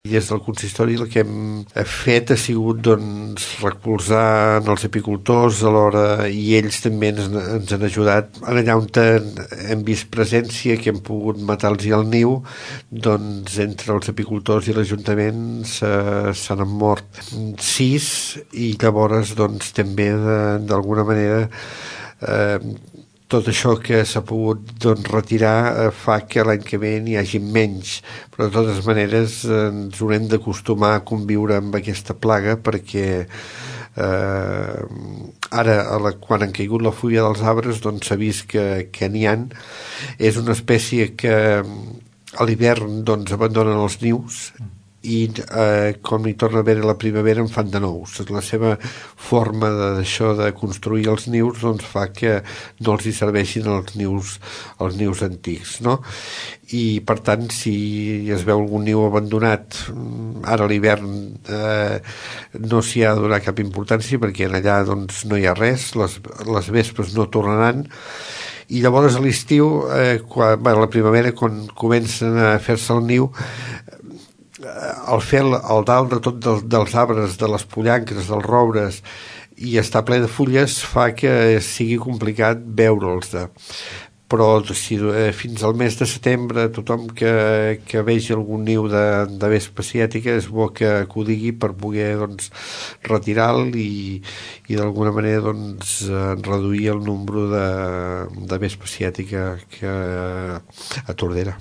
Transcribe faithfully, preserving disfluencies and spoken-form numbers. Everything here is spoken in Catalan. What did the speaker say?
I des del consistori el que hem fet ha sigut doncs, recolzar els apicultors a l'hora, i ells també ens, ens han ajudat allà on hem vist presència, que hem pogut matar-los el niu, doncs entre els apicultors i l'Ajuntament s'han mort sis, i llavors doncs també d'alguna manera eh, tot això que s'ha pogut doncs, retirar eh, fa que l'any que ve n'hi hagi menys, però de totes maneres eh, ens haurem d'acostumar a conviure amb aquesta plaga, perquè eh, ara a la, quan han caigut la fulla dels arbres doncs s'ha vist que, que n'hi ha. És una espècie que a l'hivern doncs, abandonen els nius i eh, com hi torna a haver la primavera en fan de nous. La seva forma d'això de, de construir els nius doncs fa que no els hi serveixin els nius, els nius antics, no? I per tant si es veu algun niu abandonat ara a l'hivern eh, no s'hi ha de donar cap importància, perquè allà doncs, no hi ha res, les, les vespes no tornaran. I llavors a l'estiu eh, quan, bueno, a la primavera quan comencen a fer-se el niu, al fer el dalt de tot dels, dels arbres, de les pollancres, dels roures, i està ple de fulles, fa que sigui complicat veure'ls. Però si, eh, fins al mes de setembre tothom que, que vegi algun niu de, de vespa asiàtica és bo que, que ho digui per poder doncs, retirar-lo i, i d'alguna manera doncs, reduir el nombre de, de vespa asiàtica que, a Tordera.